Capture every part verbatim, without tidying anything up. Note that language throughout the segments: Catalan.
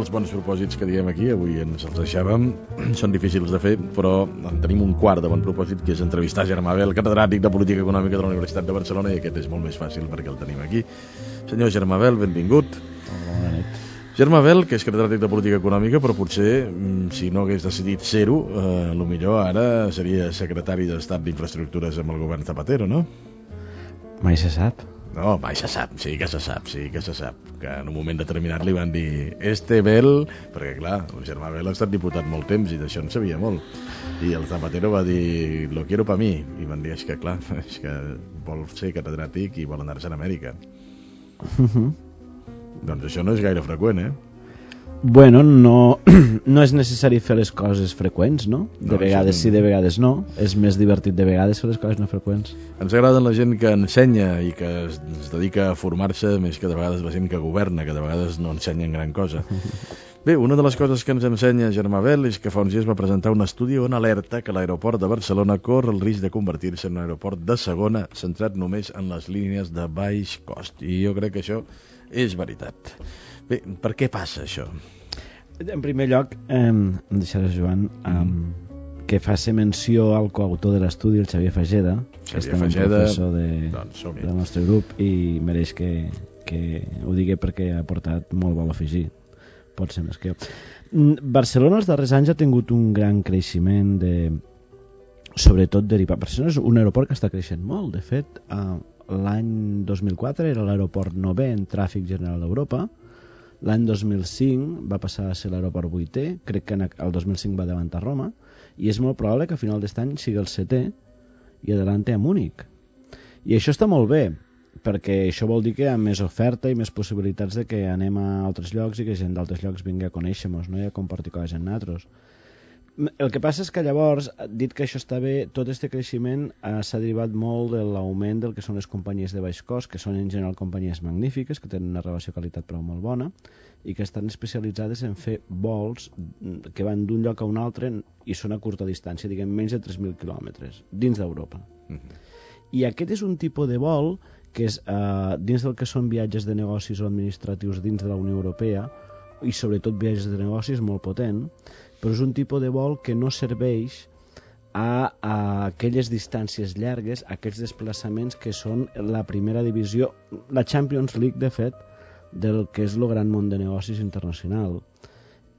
dels bons propòsits que diem aquí, avui ens els deixàvem, són difícils de fer, però en tenim un quart de bon propòsit, que és entrevistar Germà Bel, catedràtic de Política Econòmica de la Universitat de Barcelona, i aquest és molt més fàcil perquè el tenim aquí. Senyor Germà Bel, benvingut. Bona nit. Germà Bel, que és catedràtic de Política Econòmica, però potser, si no hagués decidit ser-ho, eh, potser ara seria secretari d'Estat d'Infraestructures amb el govern Zapatero, no? Mai se sap. No, mai se sap, sí que se sap, sí que se sap. Que en un moment determinat li van dir este Bel, perquè clar, el Germà Bel ha estat diputat molt temps i d'això en sabia molt. I el Zapatero va dir, lo quiero pa mi. I van dir, és que clar, és que vol ser catedràtic i vol anar-se a Amèrica. Uh-huh. Doncs això no és gaire freqüent, eh? Bueno, no, no és necessari fer les coses freqüents, no? De No, vegades això sí, no. de vegades no. És més divertit de vegades fer les coses no freqüents. Ens agrada la gent que ensenya i que es, es dedica a formar-se més que de vegades la gent que governa, que de vegades no ensenyen gran cosa. Bé, una de les coses que ens ensenya Germà Bel és que fa uns dies va presentar un estudi on alerta que l'aeroport de Barcelona corre el risc de convertir-se en un aeroport de segona centrat només en les línies de baix cost. I jo crec que això és veritat. Bé, per què passa això? En primer lloc, eh, em deixaràs, Joan, eh, que faci menció al coautor de l'estudi, el Xavier Fageda, que és també un professor de, doncs, del nostre grup i mereix que, que ho digui perquè ha portat molt vol afegir. Pot ser més que jo. Barcelona els darrers anys ha tingut un gran creixement de, sobretot derivat. Barcelona és un aeroport que està creixent molt. De fet, eh, l'any dos mil quatre era l'aeroport novè en tràfic general d'Europa. L'any dos mil cinc va passar a ser l'aeroport vuitè, crec que el dos mil cinc va davantar Roma, i és molt probable que a final d'aquest any sigui el setè i adelante a Múnich. I això està molt bé, perquè això vol dir que hi ha més oferta i més possibilitats de que anem a altres llocs i que gent d'altres llocs vingui a conèixer-nos, no? I a compartir coses amb nosaltres. El que passa és que llavors, dit que això està bé, tot aquest creixement eh, s'ha derivat molt de l'augment del que són les companyies de baix cost, que són en general companyies magnífiques, que tenen una relació qualitat però molt bona, i que estan especialitzades en fer vols que van d'un lloc a un altre i són a curta distància, diguem menys de tres mil quilòmetres, dins d'Europa. Mm-hmm. I aquest és un tipus de vol que és eh, dins del que són viatges de negocis o administratius dins de la Unió Europea, i sobretot viatges de negocis molt potent, però és un tipus de vol que no serveix a, a aquelles distàncies llargues, a aquests desplaçaments que són la primera divisió, la Champions League, de fet, del que és el gran món de negocis internacional.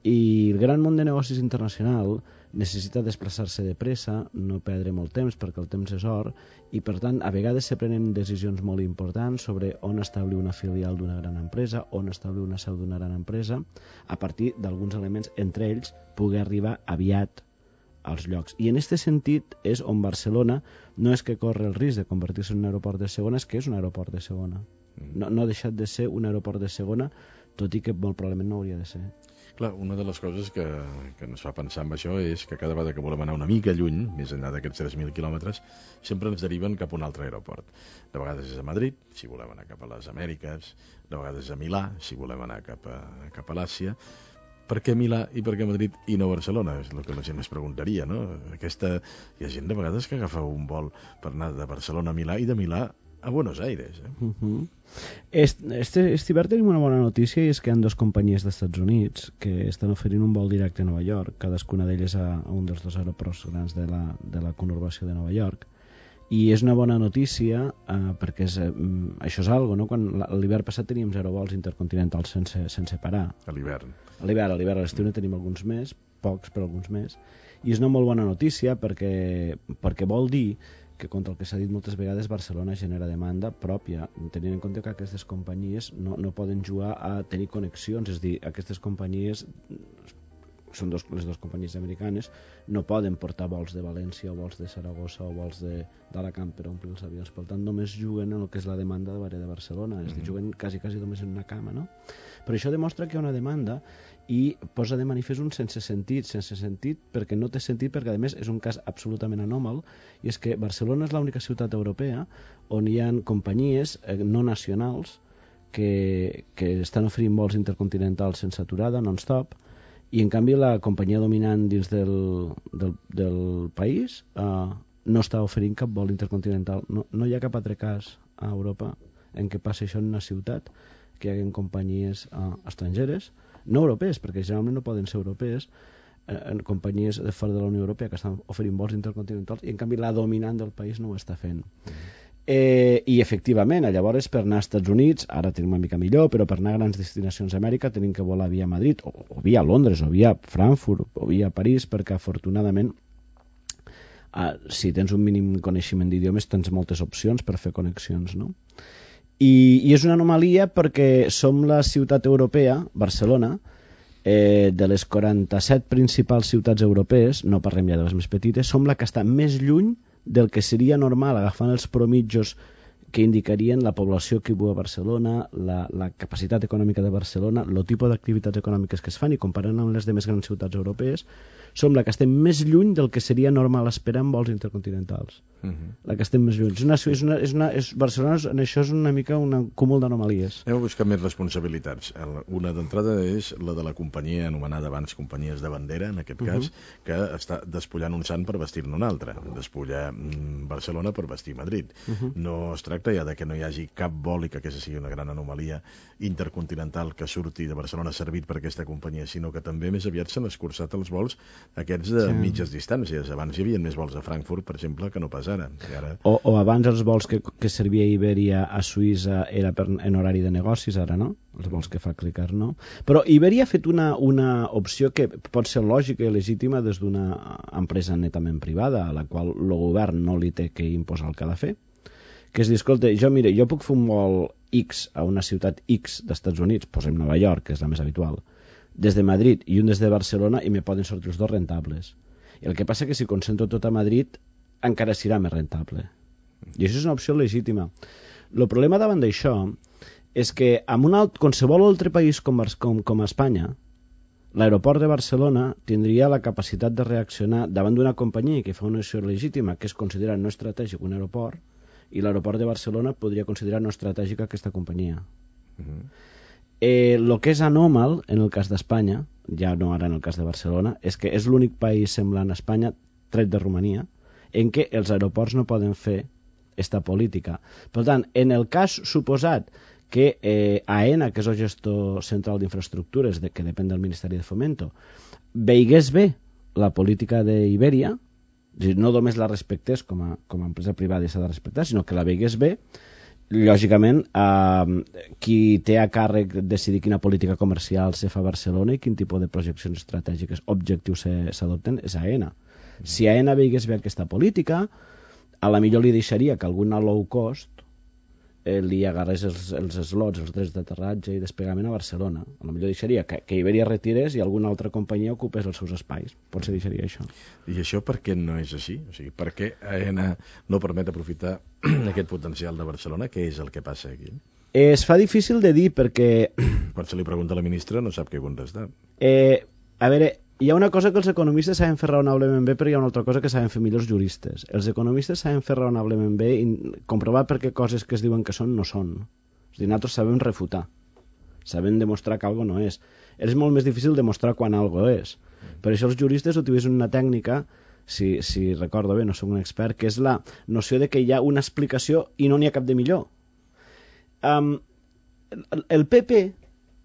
I el gran món de negocis internacional necessita desplaçar-se de pressa, no perdre molt temps perquè el temps és or, i per tant a vegades se prenen decisions molt importants sobre on establir una filial d'una gran empresa, on establir una seu d'una gran empresa, a partir d'alguns elements, entre ells poder arribar aviat als llocs. I en aquest sentit és on Barcelona no és que corre el risc de convertir-se en un aeroport de segona, és que és un aeroport de segona. No, no ha deixat de ser un aeroport de segona, tot i que molt probablement no hauria de ser. Clar, una de les coses que, que ens fa pensar en això és que cada vegada que volem anar una mica lluny, més enllà d'aquests tres mil quilòmetres, sempre ens deriven cap a un altre aeroport. De vegades és a Madrid, si volem anar cap a les Amèriques, de vegades és a Milà, si volem anar cap a, cap a l'Àsia. Per què Milà i per què Madrid i no Barcelona? És el que la gent es preguntaria, no? Aquesta... Hi ha gent de vegades que agafa un vol per anar de Barcelona a Milà i de Milà a Buenos Aires. Eh? Uh-huh. Este, este hivern tenim una bona notícia i és que hi ha dues companyies dels Estats Units que estan oferint un vol directe a Nova York, cadascuna d'elles a, a un dels dos aeroports grans de la, de la conurbació de Nova York. I és una bona notícia eh, perquè és, eh, això és algo, no? Quan l'hivern passat teníem zero vols intercontinentals sense, sense parar. A l'hivern. A l'hivern, a l'hivern, a l'estiu ne tenim alguns més, pocs però alguns més. I és una molt bona notícia perquè, perquè vol dir que contra el que s'ha dit moltes vegades Barcelona genera demanda pròpia, tenint en compte que aquestes companyies no, no poden jugar a tenir connexions, és a dir, aquestes companyies són dos, les dues companyies americanes, no poden portar vols de València o vols de Saragossa o vols d'Alacant per omplir els avions, per tant només juguen en el que és la demanda de l'àrea de Barcelona, és a dir, juguen quasi, quasi només en una cama, no? Però això demostra que hi ha una demanda i posa de manifest un sense sentit, sense sentit perquè no té sentit, perquè a més és un cas absolutament anòmal, i és que Barcelona és l'única ciutat europea on hi ha companyies eh, no nacionals que, que estan oferint vols intercontinentals sense aturada, non-stop, i en canvi la companyia dominant dins del, del, del país eh, no està oferint cap vol intercontinental. No, no hi ha cap altre cas a Europa en què passi això en una ciutat, que hi haguen companyies eh, estrangeres no europees, perquè generalment no poden ser europees, eh, en companyies de fora de la Unió Europea que estan oferint vols intercontinentals, i en canvi la dominant del país no ho està fent. Mm-hmm. Eh, i efectivament, llavors per anar als Estats Units, ara tenim una mica millor, però per anar a grans destinacions d'Amèrica tenim que volar via Madrid, o, o via Londres, o via Frankfurt, o via París, perquè afortunadament eh, si tens un mínim coneixement d'idiomes tens moltes opcions per fer connexions, no? I, i és una anomalia perquè som la ciutat europea, Barcelona, eh, de les quaranta-set principals ciutats europees, no parlem ja de les més petites, som la que està més lluny del que seria normal, agafant els promitjos que indicarien la població que viu a Barcelona, la, la capacitat econòmica de Barcelona, el tipus d'activitats econòmiques que es fan, i comparant amb les de més grans ciutats europees, som la que estem més lluny del que seria normal esperar en vols intercontinentals. Uh-huh. La que estem més lluny. És una, és una, és una, és, Barcelona en això és una mica un cúmul d'anomalies. Hem de buscar més responsabilitats. Una d'entrada és la de la companyia anomenada abans companyies de bandera, en aquest cas, uh-huh. que està despullant un sant per vestir-ne un altre. Despullar Barcelona per vestir Madrid. Uh-huh. No es tracta ja de que no hi hagi cap vol, i que aquesta sigui una gran anomalia intercontinental que surti de Barcelona servit per aquesta companyia, sinó que també més aviat s'han escurçat els vols aquests de sí. mitges distàncies. Abans hi havia més vols a Frankfurt, per exemple, que no pas ara. I ara... O, o abans els vols que, que servia Iberia a Suïssa era per, en horari de negocis, ara no? Els vols que fa clicar, no? Però Iberia ha fet una, una opció que pot ser lògica i legítima des d'una empresa netament privada, a la qual el govern no li té que imposar el que ha de fer, que és dir, escolta, jo, mire, jo puc fer un vol X a una ciutat X d'Estats Units, posem Nova York, que és la més habitual, des de Madrid i un des de Barcelona, i me poden sortir els dos rentables. I el que passa que si concentro tot a Madrid encara serà més rentable. I això és una opció legítima. El problema davant d'això és que en un alt, qualsevol altre país com, com, com Espanya, l'aeroport de Barcelona tindria la capacitat de reaccionar davant d'una companyia que fa una opció legítima, que es considera no estratègic un aeroport, i l'aeroport de Barcelona podria considerar no estratègica aquesta companyia. Uh-huh. Eh, el que és anòmal en el cas d'Espanya, ja no ara en el cas de Barcelona, és que és l'únic país semblant a Espanya, tret de Romania, en què els aeroports no poden fer esta política. Per tant, en el cas suposat que eh, AENA, que és el gestor central d'infraestructures, de, que depèn del Ministeri de Fomento, veigués bé la política d'Iberia, no només la respectés com a, com a empresa privada i s'ha de respectar, sinó que la veigués bé, lògicament, eh, qui té a càrrec decidir quina política comercial se fa a Barcelona i quin tipus de projeccions estratègiques objectius s'adopten és AENA. Si AENA veigués bé aquesta política, a la millor li deixaria que alguna low cost eh, li agarrés els, els slots, els drets d'aterratge i desplegament a Barcelona. A la millor deixaria que, que Iberia retirés i alguna altra companyia ocupés els seus espais. Potser deixaria això. I això per què no és així? O sigui, per què AENA no permet aprofitar aquest potencial de Barcelona? Què és el que passa aquí? Eh, es fa difícil de dir perquè... Quan se li pregunta a la ministra no sap què contestar. Eh, a veure, hi ha una cosa que els economistes saben fer raonablement bé, però hi ha una altra cosa que saben fer millors juristes. Els economistes saben fer raonablement bé i comprovar per què coses que es diuen que són no són. És a dir, nosaltres sabem refutar. Sabem demostrar que algo no és. És molt més difícil demostrar quan algo és. Per això els juristes utilitzen una tècnica, si, si recordo bé, no soc un expert, que és la noció de que hi ha una explicació i no n'hi ha cap de millor. Um, el P P,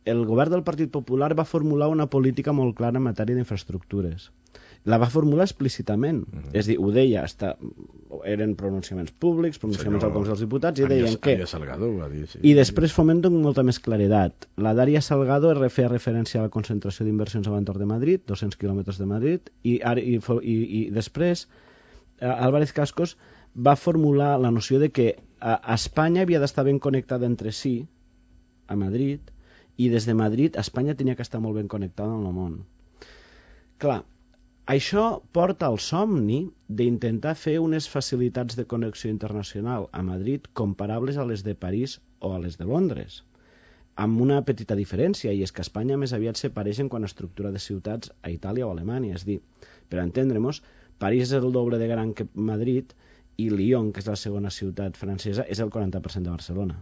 el govern del Partit Popular, va formular una política molt clara en matèria d'infraestructures. La va formular explícitament. Uh-huh. És a dir, ho deia, hasta, eren pronunciaments públics, pronunciaments Senyor, al Congrés dels Diputats, i deien que... Salgado ho va dir, sí. I després Fomento amb molta més claredat. La Daria Salgado feia referència a la concentració d'inversions a l'entorn de Madrid, dos-cents quilòmetres de Madrid, i, i, i, i després Álvarez Cascos va formular la noció de que a Espanya havia d'estar ben connectada entre si, a Madrid, i des de Madrid Espanya tenia que estar molt ben connectada amb el món. Clar, això porta al somni d'intentar fer unes facilitats de connexió internacional a Madrid comparables a les de París o a les de Londres, amb una petita diferència, i és que Espanya més aviat se pareixen quan a estructura de ciutats a Itàlia o a Alemanya. És dir, per entendre-nos, París és el doble de gran que Madrid i Lyon, que és la segona ciutat francesa, és el quaranta per cent de Barcelona.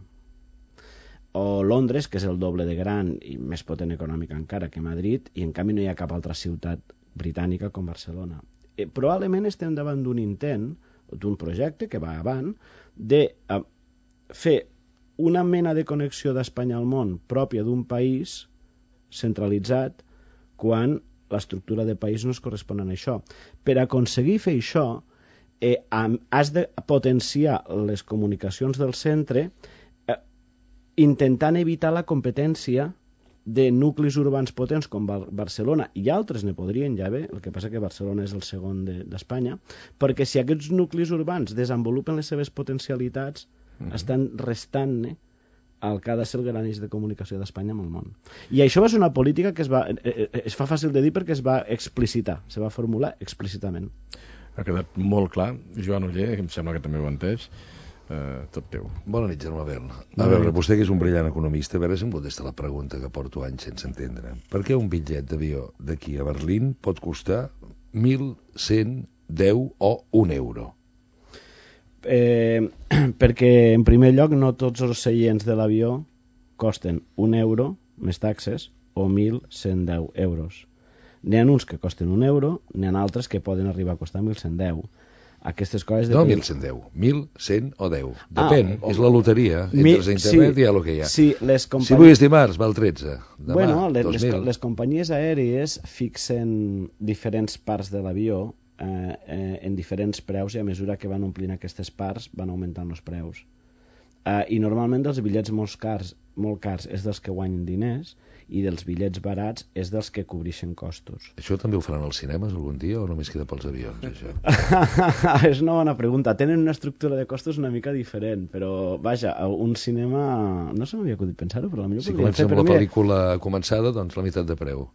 O Londres, que és el doble de gran i més potent econòmica encara que Madrid, i en canvi no hi ha cap altra ciutat britànica com Barcelona. Eh, probablement estem davant d'un intent, d'un projecte que va avant, de eh, fer una mena de connexió d'Espanya al món pròpia d'un país centralitzat quan l'estructura de país no es correspon a això. Per aconseguir fer això, eh, has de potenciar les comunicacions del centre eh, intentant evitar la competència de nuclis urbans potents com Bar Barcelona, i altres ne podrien ja haver, el que passa que Barcelona és el segon d'Espanya, de, perquè si aquests nuclis urbans desenvolupen les seves potencialitats, mm-hmm. estan restant-ne el que ha de ser el gran eix de comunicació d'Espanya amb el món. I això va ser una política que es, va, eh, es fa fàcil de dir perquè es va explicitar, se va formular explícitament. Ha quedat molt clar. Joan Oller, em sembla que també ho ha entès. Uh, tot teu. Bona nit, Germà Bel. A veure, vostè que és un brillant economista, a veure si em contesta la pregunta que porto anys sense entendre. Per què un bitllet d'avió d'aquí a Berlín pot costar mil cent deu o un euro? Eh, perquè, en primer lloc, no tots els seients de l'avió costen un euro més taxes o mil cent deu euros. N'hi ha uns que costen un euro, n'hi ha altres que poden arribar a costar mil cent deu. Aquestes coses... No, mil cent deu. mil cent o deu. Depèn, ah, és la loteria. Mil, entres a internet sí, i hi ha el que hi ha. Sí, les companyia... Si avui és dimarts, val tretze. Demà, bueno, les, dos mil. les, les companyies aèries fixen diferents parts de l'avió eh, eh, en diferents preus i a mesura que van omplint aquestes parts van augmentant els preus. Eh, I normalment dels bitllets molt cars, molt cars és dels que guanyen diners i dels bitllets barats és dels que cobreixen costos. Això també ho faran als cinemes algun dia o només queda pels avions, això? És una bona pregunta. Tenen una estructura de costos una mica diferent, però vaja, un cinema... No se m'havia acudit pensar-ho, però potser si comença amb la pel·lícula començada, doncs la meitat de preu.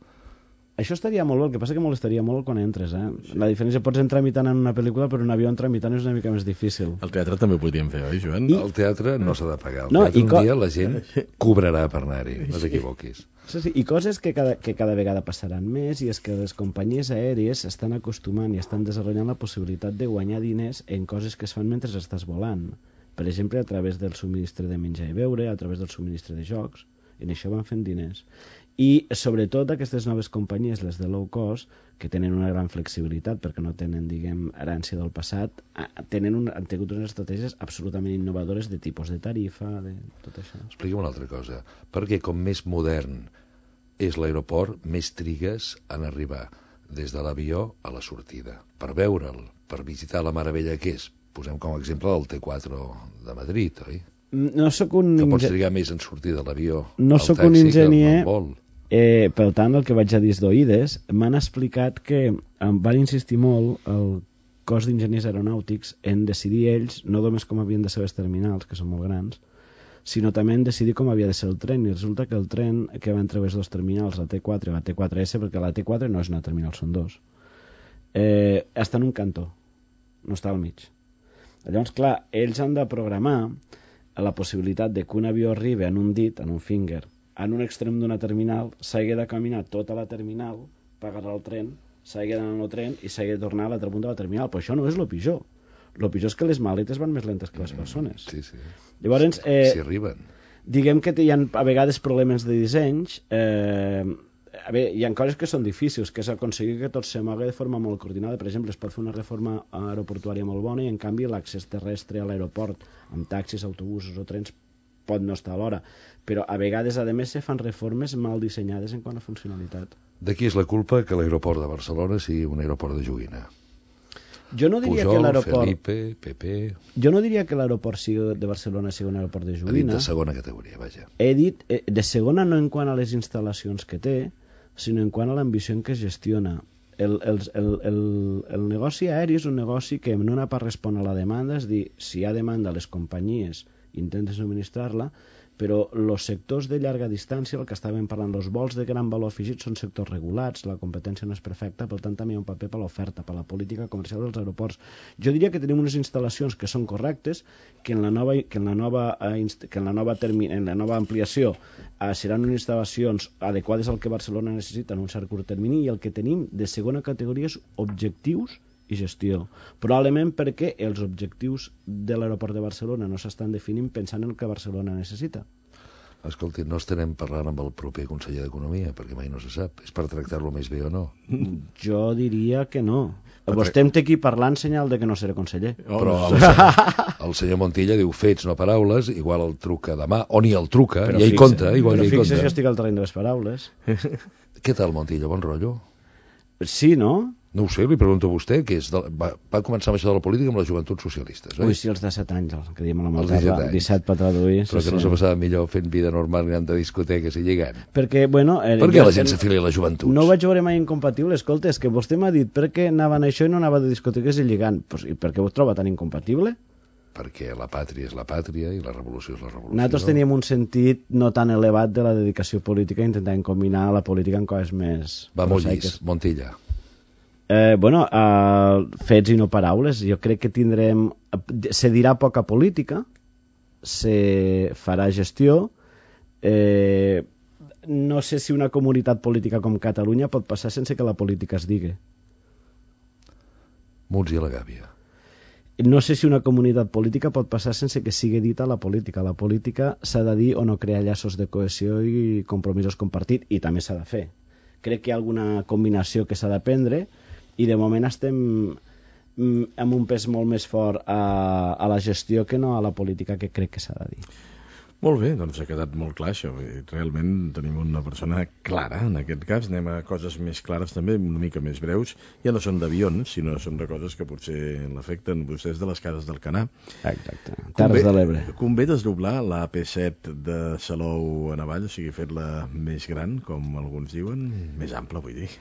Això estaria molt bé, el que passa que molestaria molt quan entres, eh? Sí. La diferència, pots entrar imitant en una pel·lícula, però un avió entrar imitant és una mica més difícil. El teatre també ho podríem fer, oi, Joan? I... El teatre no s'ha de pagar. El no, teatre un co... dia la gent cobrarà per anar-hi, no t'equivoquis. Sí, sí, i coses que cada, que cada vegada passaran més, i és que les companyies aèries estan acostumant i estan desenvolupant la possibilitat de guanyar diners en coses que es fan mentre estàs volant. Per exemple, a través del subministre de menjar i beure, a través del subministre de jocs, en això van fent diners. I sobretot aquestes noves companyies, les de low cost, que tenen una gran flexibilitat perquè no tenen, diguem, herència del passat, tenen un, han tingut unes estratègies absolutament innovadores de tipus de tarifa, de tot això. Expliquem una altra cosa. Perquè com més modern és l'aeroport, més trigues en arribar des de l'avió a la sortida. Per veure'l, per visitar la meravella que és. Posem com a exemple el T quatre de Madrid, oi? No soc un... Que pots trigar més en sortir de l'avió no al soc taxi un enginyer, que al vol. Eh, per tant, el que vaig a dir d'oïdes, m'han explicat que em van insistir molt el cos d'enginyers aeronàutics en decidir ells, no només com havien de ser les terminals, que són molt grans, sinó també en decidir com havia de ser el tren, i resulta que el tren que va entre les dues terminals, la T quatre i la T quatre S, perquè la T quatre no és una terminal, són dos, eh, està en un cantó, no està al mig. Llavors, clar, ells han de programar la possibilitat de que un avió arribi en un dit, en un finger, en un extrem d'una terminal, s'hagi de caminar tota la terminal per agarrar el tren, s'hagi d'anar en el tren i s'hagi de tornar a l'altre punt de la terminal. Però això no és el pitjor. El pitjor és que les maletes van més lentes que les persones. Sí, sí. Llavors, eh, si arriben. Diguem que hi ha a vegades problemes de dissenys. Eh, a veure, hi ha coses que són difícils, que és aconseguir que tot se mogui de forma molt coordinada. Per exemple, es pot fer una reforma aeroportuària molt bona i, en canvi, l'accés terrestre a l'aeroport amb taxis, autobusos o trens pot no estar a l'hora, però a vegades, a més, se fan reformes mal dissenyades en quant a funcionalitat. De qui és la culpa que l'aeroport de Barcelona sigui un aeroport de joguina? Jo no diria Pujol, que l'aeroport... Felipe, Pepe... Jo no diria que l'aeroport de Barcelona sigui un aeroport de joguina. Ha dit de segona categoria, vaja. He dit eh, de segona no en quant a les instal·lacions que té, sinó en quant a l'ambició en què es gestiona. El, el, el, el, el negoci aeri és un negoci que en una part respon a la demanda, és dir, si hi ha demanda, les companyies intenten subministrar-la, però els sectors de llarga distància, el que estàvem parlant, els vols de gran valor afegit són sectors regulats, la competència no és perfecta, per tant també hi ha un paper per l'oferta, per la política comercial dels aeroports. Jo diria que tenim unes instal·lacions que són correctes, que en la nova, que en la nova, que en la nova, termi, en la nova ampliació eh, seran unes instal·lacions adequades al que Barcelona necessita en un cert curt termini, i el que tenim de segona categoria és objectius i gestió. Probablement perquè els objectius de l'aeroport de Barcelona no s'estan definint pensant en el que Barcelona necessita. Escolti, no estarem parlant amb el proper conseller d'Economia, perquè mai no se sap. És per tractar-lo més bé o no? Jo diria que no. Vostè em té aquí parlant senyal de que no seré conseller. Oh, però el, senyor, el senyor Montilla diu fets, no paraules, igual el truca demà, o ni el truca, però i ell compta. Igual però fixa que estic al terreny de les paraules. Què tal, Montilla? Bon rotllo? Sí, no? No ho sé, li pregunto a vostè, que és de, va, va començar amb això de la política amb les joventuts socialistes, oi? Ui, sí, els de set anys, el que diem a la Malterra, disset per traduir. Però sí, que no sí. se passava millor fent vida normal i anant de discoteques i lligant. Perquè, bueno... Eh, per què la gent s'afilia a les joventuts? No ho vaig veure mai incompatible, escolta, és que vostè m'ha dit per què anaven a això i no anava de discoteques i lligant. Pues, i per què ho troba tan incompatible? Perquè la pàtria és la pàtria i la revolució és la revolució. Nosaltres teníem un sentit no tan elevat de la dedicació política i intentàvem combinar la política amb coses més... Va molt llis, Montilla. Eh, bueno, uh, fets i no paraules. Jo crec que tindrem... Se dirà poca política, se farà gestió. Eh, no sé si una comunitat política com Catalunya pot passar sense que la política es digui. Munts i a la gàbia. No sé si una comunitat política pot passar sense que sigui dita la política. La política s'ha de dir o no crear llaços de cohesió i compromisos compartits, i també s'ha de fer. Crec que hi ha alguna combinació que s'ha de prendre, i de moment estem amb un pes molt més fort a, a la gestió que no a la política, que crec que s'ha de dir. Molt bé, doncs ha quedat molt clar això. Realment tenim una persona clara en aquest cas. Anem a coses més clares també, una mica més breus. Ja no són d'avions, sinó són de coses que potser l'afecten. Vostès de les cases del Canà. Exacte, Terres de l'Ebre. Convé desdoblar la A P set de Salou a Navall, o sigui, fer-la més gran, com alguns diuen, més ampla, vull dir.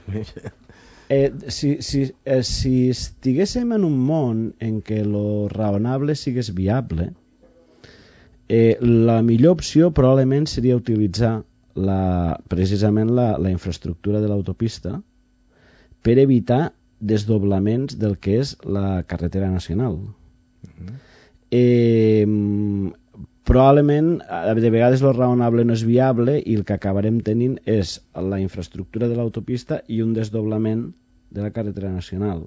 Eh, si, si, eh, si estiguéssim en un món en què lo raonable sigués viable, eh, la millor opció probablement seria utilitzar la, precisament la, la infraestructura de l'autopista per evitar desdoblaments del que és la carretera nacional. Uh-huh. eh, probablement de vegades lo raonable no és viable i el que acabarem tenint és la infraestructura de l'autopista i un desdoblament de la carretera nacional.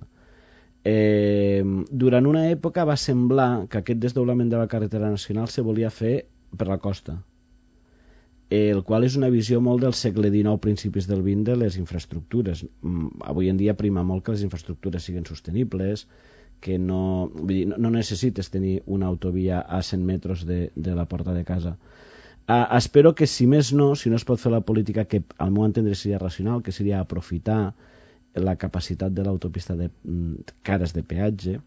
Eh, durant una època va semblar que aquest desdoblament de la carretera nacional se volia fer per la costa, eh, el qual és una visió molt del segle dinou, principis del vint, de les infraestructures. Avui en dia prima molt que les infraestructures siguin sostenibles, que no, vull dir, no, no necessites tenir una autovia a cent metres de, de la porta de casa. Uh, espero que, si més no, si no es pot fer la política que al meu entendre seria racional, que seria aprofitar la capacitat de l'autopista de cares de peatge,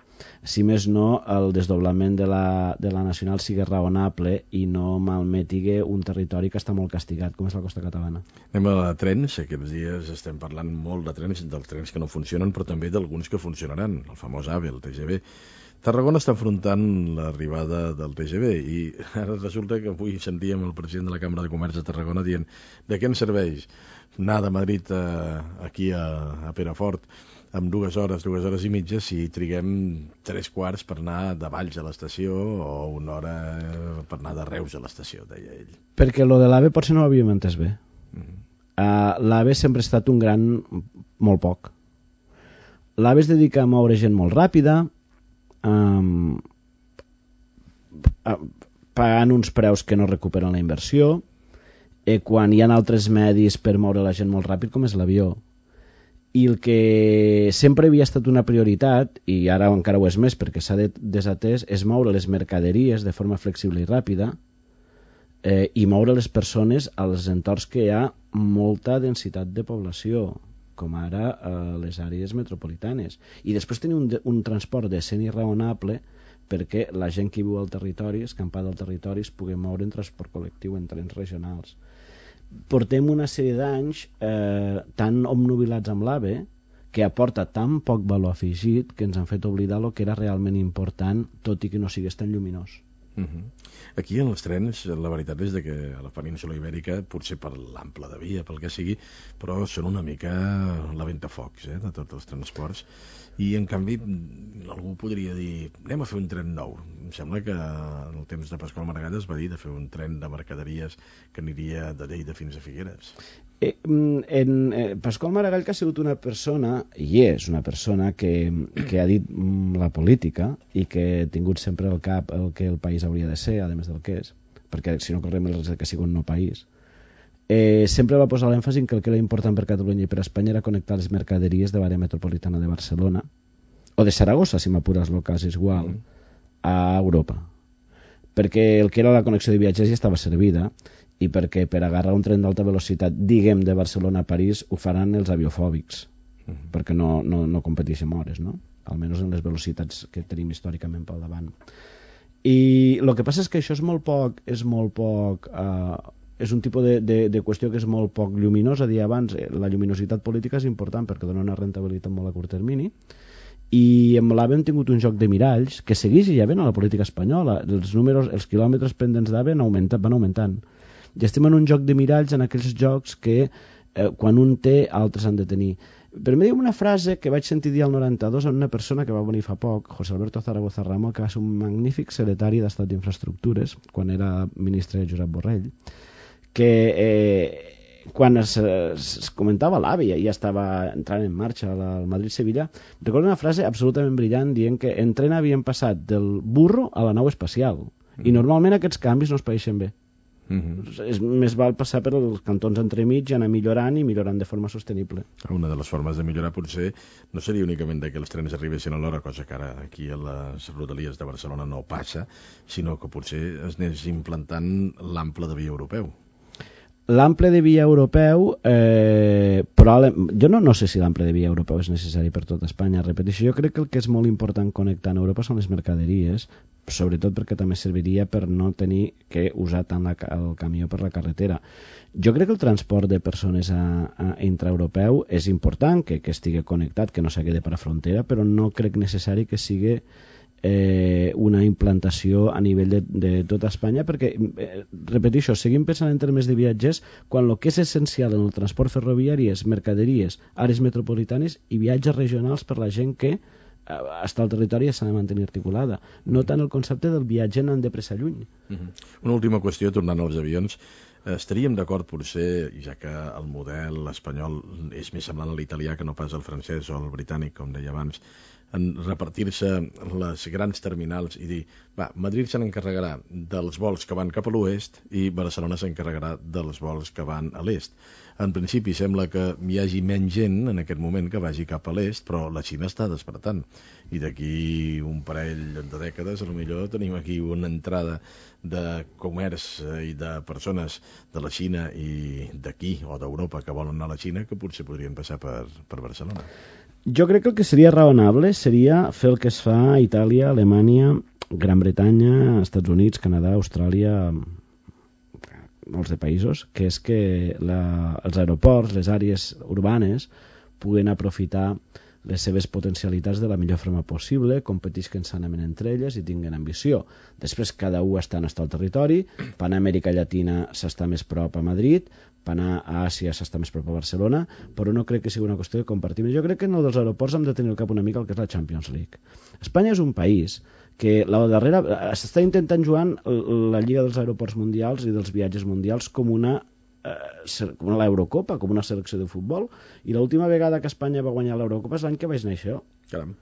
si més no el desdoblament de la, de la nacional sigui raonable i no malmetigue un territori que està molt castigat, com és la costa catalana. Anem a trens. Aquests dies estem parlant molt de trens, dels trens que no funcionen, però també d'alguns que funcionaran, el famós AVE, el T G V. Tarragona està enfrontant l'arribada del T G V i ara resulta que avui sentíem el president de la Cambra de Comerç de Tarragona dient de què ens serveix anar de Madrid a, aquí a, a Perafort amb dues hores, dues hores i mitja si triguem tres quarts per anar de Valls a l'estació o una hora per anar de Reus a l'estació, deia ell. Perquè lo de l'AVE potser no ho havíem entès bé. Mm-hmm. Uh, L'AVE sempre ha estat un gran molt poc. L'AVE es dedica a moure gent molt ràpida, um, uh, pagant uns preus que no recuperen la inversió, eh, quan hi ha altres medis per moure la gent molt ràpid, com és l'avió. I el que sempre havia estat una prioritat, i ara encara ho és més perquè s'ha desatès, és moure les mercaderies de forma flexible i ràpida, eh, i moure les persones als entorns que hi ha molta densitat de població, com ara eh, les àrees metropolitanes. I després tenir un, un transport decent i raonable perquè la gent que viu al territori, escampada al territori, es pugui moure en transport col·lectiu, en trens regionals. Portem una sèrie d'anys eh, tan obnubilats amb l'AVE que aporta tan poc valor afegit que ens han fet oblidar el que era realment important, tot i que no sigués tan lluminós. Uh-huh. Aquí en els trens la veritat és de que a la península Ibèrica, potser per l'ample de via, pel que sigui, però són una mica la ventafocs eh, de tots els transports, i en canvi algú podria dir anem a fer un tren nou. Em sembla que en el temps de Pasqual Maragall es va dir de fer un tren de mercaderies que aniria de Lleida fins a Figueres. Eh, en, eh, Pasqual Maragall, que ha sigut una persona, i és una persona que, que ha dit mm, la política i que ha tingut sempre al cap el que el país hauria de ser, a més del que és. perquè si no correm el risc que sigui un no país, eh, sempre va posar l'èmfasi en que el que era important per Catalunya i per Espanya era connectar les mercaderies de l'àrea metropolitana de Barcelona, o de Saragossa, si m'apures el cas és igual, mm. a Europa. Perquè el que era la connexió de viatgers ja estava servida, i perquè per agarrar un tren d'alta velocitat, diguem, de Barcelona a París, ho faran els aviofòbics, mm. perquè no, no, no competeixen hores, no? Almenys en les velocitats que tenim històricament pel davant. I el que passa és que això és molt poc, és molt poc, eh, és un tipus de, de, de qüestió que és molt poc lluminosa. Dir abans, la lluminositat política és important perquè dona una rentabilitat molt a curt termini, i amb l'AVE hem tingut un joc de miralls que segueix ja ben a la política espanyola. Els números, els quilòmetres pendents d'AVE van augmentant. I estem en un joc de miralls, en aquells jocs que eh, quan un té, altres han de tenir. Però m'he dit una frase que vaig sentir dir al noranta-dos en una persona que va venir fa poc, José Alberto Zaragoza Ramos, que va ser un magnífic secretari d'Estat d'Infraestructures quan era ministre de Josep Borrell, que eh, quan es, es comentava l'AVE i ja estava entrant en marxa al Madrid-Sevilla, recordo una frase absolutament brillant dient que en tren havien passat del burro a la nau espacial, mm. i normalment aquests canvis no es paeixen bé. Mm-hmm. És més val passar per els cantons entremig i anar millorant i millorant de forma sostenible. Una de les formes de millorar potser no seria únicament que els trens arribessin a l'hora, cosa que ara aquí a les rodalies de Barcelona no passa, sinó que potser es anés implantant l'ample de via europeu. L'ample de via europeu, eh, però jo no, no sé si l'ample de via europeu és necessari per tot Espanya. Repeteixo, jo crec que el que és molt important connectar en Europa són les mercaderies, sobretot perquè també serviria per no tenir que usar tant la, el camió per la carretera. Jo crec que el transport de persones a, a intraeuropeu és important, que, que estigui connectat, que no s'hagi de per a frontera, però no crec necessari que sigui eh, una implantació a nivell de, de tota Espanya, perquè, eh, repeteixo, seguim pensant en termes de viatgers quan el que és essencial en el transport ferroviari és mercaderies, àrees metropolitanes i viatges regionals per la gent que està al territori i s'ha de mantenir articulada, no tant el concepte del viatge anant de pressa lluny. Uh-huh. Una última qüestió, tornant als avions, estaríem d'acord potser, ja que el model espanyol és més semblant a l'italià que no pas al francès o al britànic, com deia abans, en repartir-se les grans terminals i dir, va, Madrid se n'encarregarà dels vols que van cap a l'oest i Barcelona s'encarregarà dels vols que van a l'est. En principi sembla que hi hagi menys gent en aquest moment que vagi cap a l'est, però la Xina està despertant. I d'aquí un parell de dècades, potser tenim aquí una entrada de comerç i de persones de la Xina i d'aquí o d'Europa que volen anar a la Xina que potser podrien passar per, per Barcelona. Jo crec que el que seria raonable seria fer el que es fa a Itàlia, Alemanya, Gran Bretanya, Estats Units, Canadà, Austràlia, molts de països, que és que la, els aeroports, les àrees urbanes, puguen aprofitar les seves potencialitats de la millor forma possible, competisquen sanament entre elles i tinguen ambició. Després cada un està en el territori, per anar a Amèrica Llatina s'està més prop a Madrid, per anar a Àsia s'està més prop a Barcelona, però no crec que sigui una qüestió de compartir. Jo crec que en el dels aeroports hem de tenir al cap una mica el que és la Champions League. Espanya és un país que la darrera s'està intentant jugar la Lliga dels Aeroports Mundials i dels Viatges Mundials com una com l'Eurocopa, com una selecció de futbol, i l'última vegada que Espanya va guanyar l'Eurocopa és l'any que vaig néixer jo. Caram.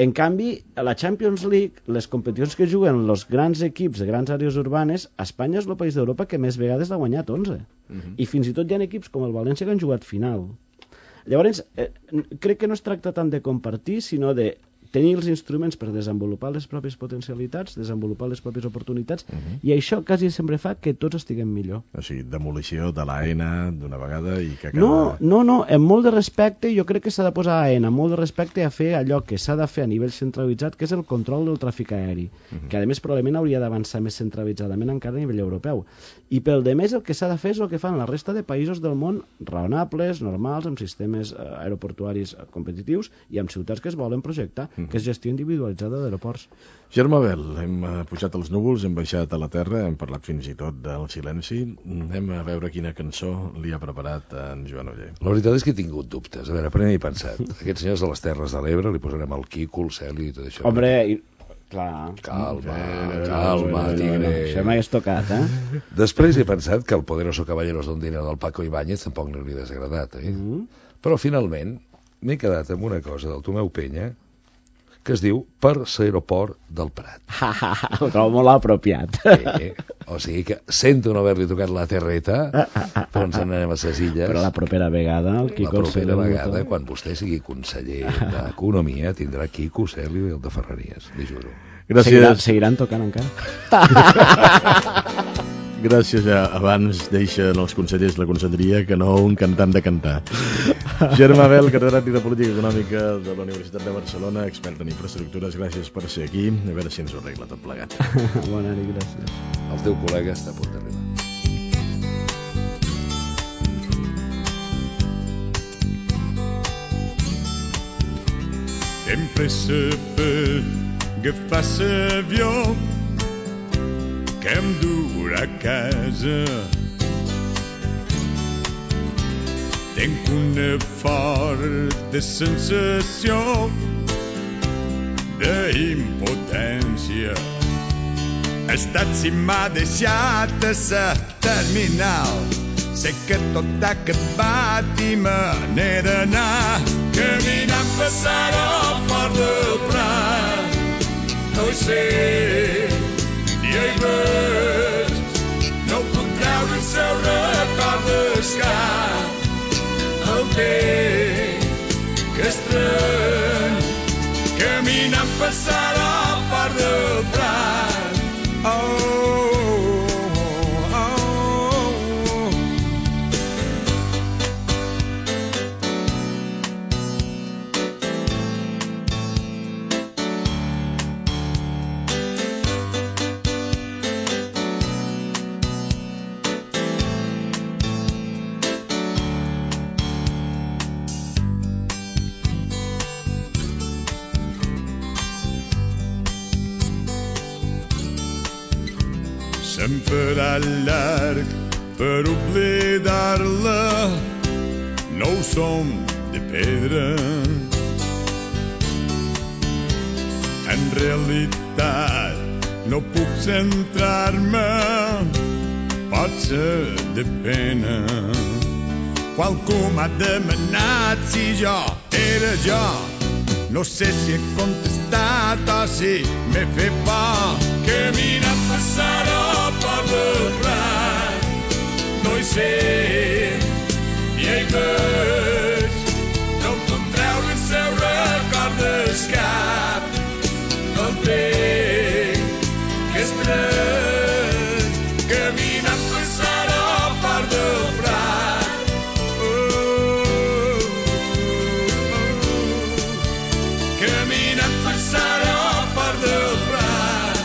En canvi, a la Champions League, les competicions que juguen els grans equips de grans àrees urbanes, Espanya és el país d'Europa que més vegades l'ha guanyat, onze. Uh-huh. I fins i tot hi ha equips com el València que han jugat final. Llavors, eh, crec que no es tracta tant de compartir, sinó de tenir els instruments per desenvolupar les pròpies potencialitats, desenvolupar les pròpies oportunitats, uh-huh. i això quasi sempre fa que tots estiguem millor. O sigui, demolició de l'A E N A d'una vegada i que cada... No, no, no, amb molt de respecte, jo crec que s'ha de posar A E N A, molt de respecte a fer allò que s'ha de fer a nivell centralitzat, que és el control del tràfic aeri, uh-huh. que a més probablement hauria d'avançar més centralitzadament encara a nivell europeu. I pel de més el que s'ha de fer és el que fan la resta de països del món raonables, normals, amb sistemes aeroportuaris competitius i amb ciutats que es volen projectar, que és gestió individualitzada d'aeroports. Germà Bel, hem pujat als núvols, hem baixat a la terra, hem parlat fins i tot del silenci. Anem a veure quina cançó li ha preparat en Joan Oller. La veritat és que he tingut dubtes. A veure, primer he pensat, aquests senyors de les Terres de l'Ebre li posarem el Quico, el Celi i tot això. Hombre, i... clar. Calma, calma, tigre. Això m'hagués tocat, eh? Després he pensat que el Poderoso Caballeros d'Ondina del Paco Ibáñez tampoc no li ha desagradat, eh? Mm. Però finalment m'he quedat amb una cosa del Tomeu Penya que es diu Per l'aeroport del Prat. Ho trobo molt apropiat. Eh, O sigui que sento no haver-li tocat la terreta, Ah, ah, ah, però ens ah, n'anem a ses illes. Però la propera vegada el La Quico propera Celio vegada, tot. quan vostè sigui conseller d'Economia, tindrà Quico, Celio i el de Ferreries, li juro. Seguirà, Gràcies. seguiran tocant encara. Gràcies, ja. Abans deixen els consellers la conselleria que no un cantant de cantar. Germà Bel, catedràtic de Política Econòmica de la Universitat de Barcelona, expert en infraestructures, gràcies per ser aquí. A veure si ens ho arregla tot plegat. Bona nit, gràcies. El teu col·lega està a punt d'arribar. Sempre saber agafar l'avió que em durà a casa. Tenc una forta sensació d'impotència. Ha estat si m'ha deixat a la terminal. Sé que tot ha acabat i me n'he d'anar caminant per l'aeroport del Prat. No hi sé ni hi veig, no puc treure el seu record del cap. El tenc que estrany caminant per l'aeroport del Prat. Oh, se'm farà llarg per oblidar-la, no ho som de pedra. En realitat no puc centrar-me, potser de pena. Qualcú m'ha demanat si jo era jo, no sé si he contestat o si m'he fet por. Caminant per l'aeroport del Prat, no hi sé ni hi veig, no em puc treure el seu record del cap. El tenc que estrany caminant per l'aeroport del Prat. Oh, caminant per l'aeroport del Prat,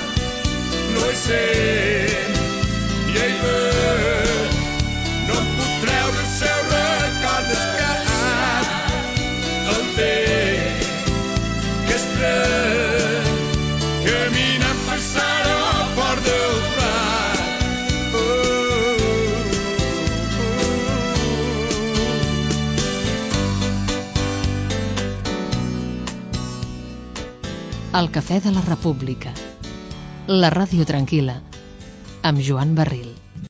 no hi sé ni hi veig, no em puc treure el seu record del cap. El tenc que estrany caminant per l'aeroport del Prat. Oh, oh. El Cafè de la República, la ràdio tranquil·la, amb Joan Barril.